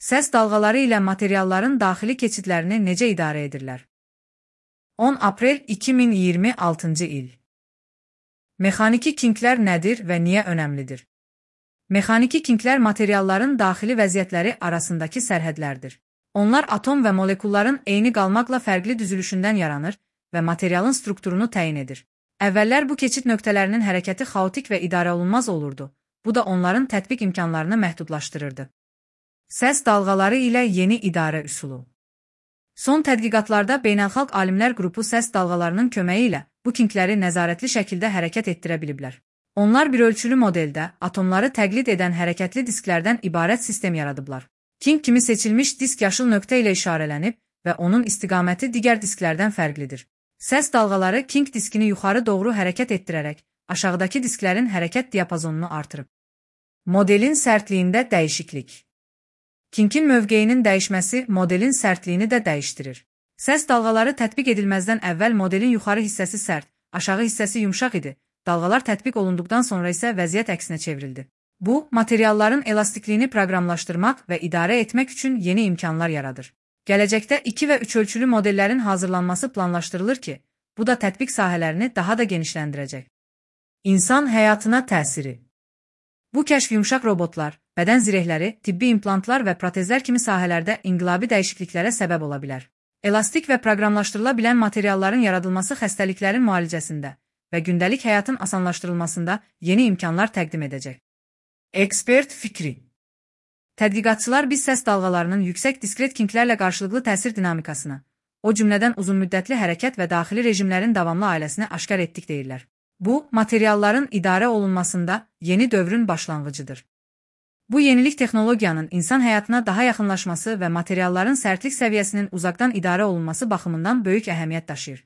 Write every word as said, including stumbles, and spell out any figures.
Səs dalğaları ilə materialların daxili keçidlərini necə idarə edirlər? on aprel iki min iyirmi altıncı il. Mexaniki kinklər nədir və niyə önəmlidir? Mexaniki kinklər materialların daxili vəziyyətləri arasındakı sərhədlərdir. Onlar atom və molekulların eyni qalmaqla fərqli düzülüşündən yaranır və materialın strukturunu təyin edir. Əvvəllər bu keçid nöqtələrinin hərəkəti xaotik və idarə olunmaz olurdu. Bu da onların tətbiq imkanlarını məhdudlaşdırırdı. Səs dalğaları ilə yeni idarə üsulu. Son tədqiqatlarda beynəlxalq alimlər qrupu səs dalğalarının köməyi ilə bu kinkləri nəzarətli şəkildə hərəkət etdirə biliblər. Onlar bir ölçülü modeldə atomları təqlid edən hərəkətli disklərdən ibarət sistem yaradıblar. Kink kimi seçilmiş disk yaşıl nöqtə ilə işarələnib və onun istiqaməti digər disklərdən fərqlidir. Səs dalğaları kink diskini yuxarı doğru hərəkət etdirərək aşağıdakı disklərin hərəkət diapazonunu artırıb. Modelin sərtliyində dəyişiklik. Kinkin mövqeyinin dəyişməsi modelin sərtliyini də dəyişdirir. Səs dalğaları tətbiq edilməzdən əvvəl modelin yuxarı hissəsi sərt, aşağı hissəsi yumşaq idi. Dalğalar tətbiq olunduqdan sonra isə vəziyyət əksinə çevrildi. Bu, materialların elastikliyini proqramlaşdırmaq və idarə etmək üçün yeni imkanlar yaradır. Gələcəkdə iki və üç ölçülü modellərin hazırlanması planlaşdırılır ki, bu da tətbiq sahələrini daha da genişləndirəcək. İnsan həyatına təsiri. Bu kəşf yumşaq robotlar, bədən zirehləri, tibbi implantlar və protezlər kimi sahələrdə inqilabi dəyişikliklərə səbəb ola bilər. Elastik və proqramlaşdırıla bilən materialların yaradılması xəstəliklərin müalicəsində və gündəlik həyatın asanlaşdırılmasında yeni imkanlar təqdim edəcək. Ekspert fikri. Tədqiqatçılar biz səs dalğalarının yüksək diskret kinklərlə qarşılıqlı təsir dinamikasını, o cümlədən uzunmüddətli hərəkət və daxili rejimlərin davamlı ailəsini aşkar etdik deyirlər. Bu, materialların idarə olunmasında yeni dövrün başlanğıcıdır. Bu yenilik texnologiyanın insan həyatına daha yaxınlaşması və materialların sərtlik səviyyəsinin uzaqdan idarə olunması baxımından böyük əhəmiyyət daşıyır.